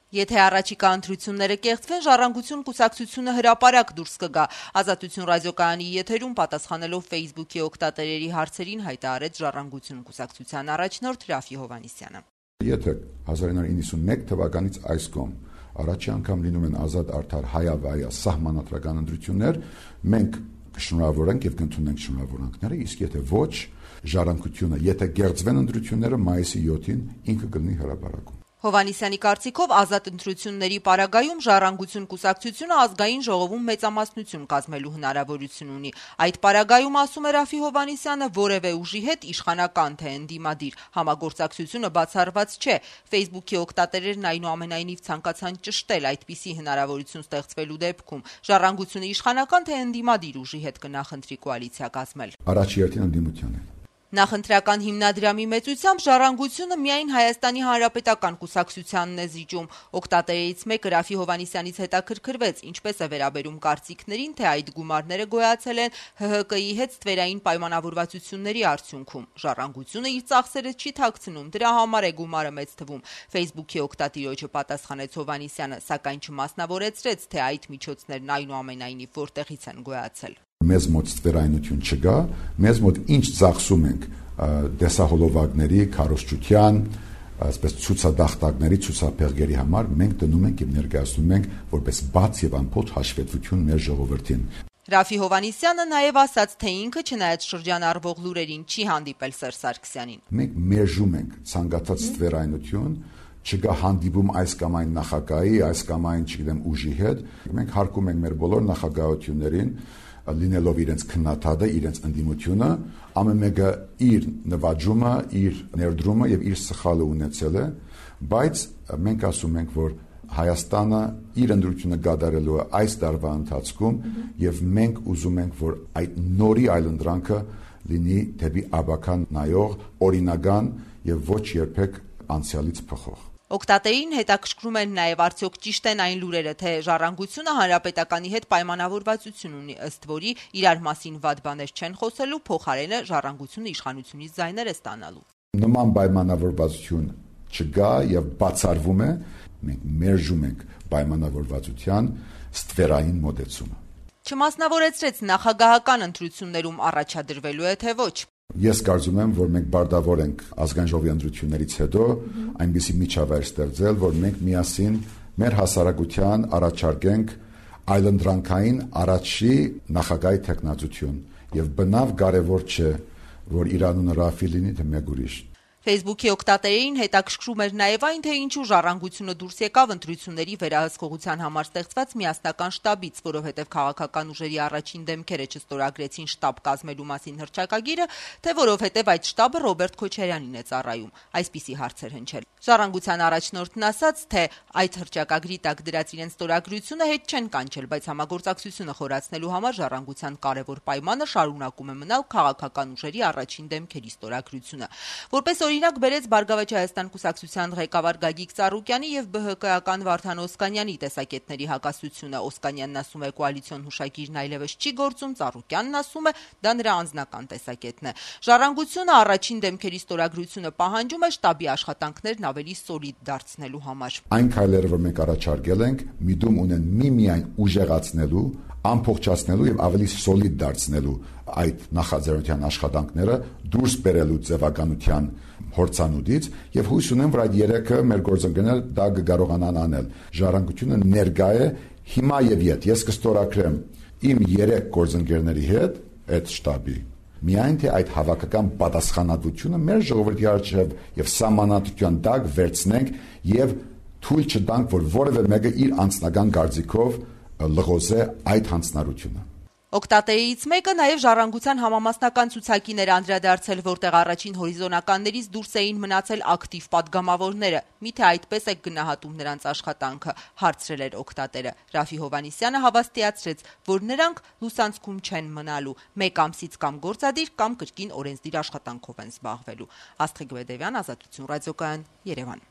Եթե առաջիկա ընտրությունները կեղծվեն, Ժառանգություն կուսակցությունը հրապարակ դուրս կգա։ Ազատություն ռադիոկայանի եթերում պատասխանելով Facebook-ի օգտատերերի հարցերին հայտարարեց Ժառանգություն կուսակցության առաջնորդ Ռաֆի Հովհաննիսյանը։ Եթե 1991 թվականից այս կողմ առաջի անգամ լինում են ազատ արդար հայավայա սահմանադրական ընտրություններ, մենք կշնորհավորենք եւ կընդունենք շնորհավորանքները, իսկ եթե ոչ, Ժառանգությունը, եթե գերձվեն ընտրությունները մայիսի 7-ին ինքը կլինի հրապարակում։ Հովհաննիսյանի կարծիքով ազատ ընտրությունների պարագայում Ժառանգություն կուսակցությունը ազգային ժողովում մեծամասնություն կազմելու հնարավորություն ունի։ Այդ պարագայում, ասում է Ռաֆի Հովհաննիսյանը, որևէ ուժի հետ իշխանական թե ընդդիմադիր համագործակցությունը բացառված չէ։ Facebook-ի օգտատերերն այնուամենայնիվ ցանկացան ճշտել այդպիսի հնարավորություն ստեղծվելու դեպքում Ժառանգությունը իշխանական թե ընդդիմադիր ուժի հետ կնախընտրի կոալիցիա կազմել։ Առաջի հերթին ընդդիմության հետ։ Նախընտրական հիմնադրամի մեծությամբ Ժառանգությունը միայն Հայաստանի Հանրապետական կուսակցությանն է զիջում։ Օգտատերերից մեկը Ռաֆի Հովհաննիսյանից հետաքրքրվեց, ինչպես է վերաբերում կարծիքներին, թե այդ գումարները գոյացել են ՀՀԿ-ի հետ ստվերային պայմանավորվածությունների արդյունքում։ Ժառանգությունը իր ծախսերը չի թաքցնում, դրա համար է գումարը մեծ թվում։ Facebook-ի օգտատիրոջը պատասխանեց Հովհաննիսյանը, սակայն չմասնավորեցրեց, թե այդ միջոցներն այնուամենայնիվ որտեղից են գոյացել։ Մեզ մոտ ստվերայնություն չկա, մեզ մոտ ինչ ծախսում ենք դեսահոլովակների, քարոզչության, այսպես ցուցադախտակների, ցուցափեղկերի համար, մենք դնում ենք եւ ներկայացնում ենք որպես բաց եւ անփոթ հաշվետվություն մեր ժողովրդին։ Ռաֆի Հովհաննիսյանը նաեւ ասաց, թե ինքը չնայած շրջանառվող լուրերին չի հանդիպել Սերժ Սարգսյանին։ Մենք մերժում ենք ցանկացած ստվերայնություն, չկա հանդիպում այս կամ այն նախագահի, այս կամ այն, չգիտեմ, ուժի հետ։ Մենք հարկում ենք մեր բոլոր նախագահություններին լինելով իրենց քննադատը, իրենց ընդդիմությունը, ամեն մեկը իր նվաճումը, իր ներդրումը եւ իր սխալը ունեցել է, բայց մենք ասում ենք, որ Հայաստանը իր ընդրությունը կատարելու է այս տարվա ընթացքում եւ մենք ուզում ենք, որ այդ նորի այլընտրանքը լինի դեպի աբական նայող, օրինական եւ ոչ երբեք անցյալից փոխող։ Օգտատերին հետաքրքրում են նաև արդյոք ճիշտ են այն լուրերը, թե Ժառանգությունը Հանրապետականի հետ պայմանավորվածություն ունի, ըստ որի իրար մասին վատ բաներ չեն խոսելու, փոխարենը Ժառանգությունը իշխանությունից ձայներ է ստանալու։ Նման պայմանավորվածություն չկա եւ բացառվում է, մենք մերժում ենք պայմանավորվածության ստվերային մոտեցումը։ Չմասնավորեցրեց նախագահական ընտրություններում առաջադրվելու է թե ոչ։ Ես կարծում եմ, որ մենք բարտավոր ենք ազգային ժողովի ընտրություններից հետո այնպիսի միջավայր ստեղծել, որ մենք միասին մեր հասարակության առաջարկենք այլընտրանքային առաջի նախագահի թեկնածություն եւ բնավ կարեւոր չէ, որ իր անունը Ռաֆի լինի թե մեկ ուրիշ։ Facebook-ի օգտատերերին հետաքրքրում էր նաև այն, թե ինչու Ժառանգությունը դուրս եկավ ընտրությունների վերահսկողության համար ստեղծված միասնական շտաբից, որովհետև քաղաքական ուժերի առաջին դեմքերը չստորագրեցին շտաբ կազմելու մասին հռչակագիրը, թե որովհետև այդ շտաբը Ռոբերտ Քոչարյանին է ծառայում։ Այսպիսի հարցեր հնչել։ Ժառանգության առաջնորդն ասաց, թե այդ հռչակագրի տակ դրած իրենց ստորագրությունը հետ չեն կանչել, բայց համագործակցությունը խորացնելու համար Ժառանգության կարևոր պայմանը շարունակում է մնալ քաղաքական ուժերի առաջին դեմքերի ստորագրությունը։ Որպես օրինակ բերեց Բարգավաճ Հայաստան կուսակցության ղեկավար Գագիկ Ծառուկյանի եւ ԲՀԿ-ական Վարդան Օսկանյանի տեսակետների հակասությունը։ Օսկանյանն ասում է կոալիցիոն հուշագիրն այլևս չի գործում, Ծառուկյանն ասում է դա նրա անձնական տեսակետն է։ Ժառանգությունը առաջին դեմքերի ստորագրությունը պահանջում է շտաբի աշխատանքներն ավելի սոլիդ դարձնելու համար։ Այն քայլերը, որ մենք առաջարկել ենք, միտում ունեն միմիայն ուժեղացնելու, ամփոփչացնելու եւ ավելի սոլիդ դարձնելու այդ նախաձեռնության աշխատանքները դուրս բերելու ձևականության հորցանուտից եւ հույս ունեմ, որ այդ երեքը մեր գործընկերները դա կկարողանան անել։ Ժառանգությունը ներկա է հիմա եւ իդ ես կստորագրեմ իմ 3 գործընկերների հետ այդ շտաբի միայն թե այդ հավաքական պատասխանատվությունը մեր ժողովրդի առջև եւ սահմանադրության տակ վերցնենք եւ թույլ չտանք, որ որևէ մեկը իր անձնական կարծիքով լղոզե այդ հանձնարարությունը։ Օգտատերերից մեկը նաև Ժառանգության համամասնական ցուցակին էր անդրադարձել, որտեղ առաջին հորիզոնականներից դուրս էին մնացել ակտիվ падգամավորները։ Միթե այդպես է գնահատում նրանց աշխատանքը, հարցրել էր օգտատերը։ Ռաֆի Հովհաննիսյանը հավաստիացրեց, որ նրանք լուսանցքում չեն մնալու, 1 ամսից կամ գործադիր կամ կրկին օրենսդիր աշխատանքով են զբաղվելու։ Աստղիկ Բեդևյան, Ազատություն ռադիոկայան, Երևան։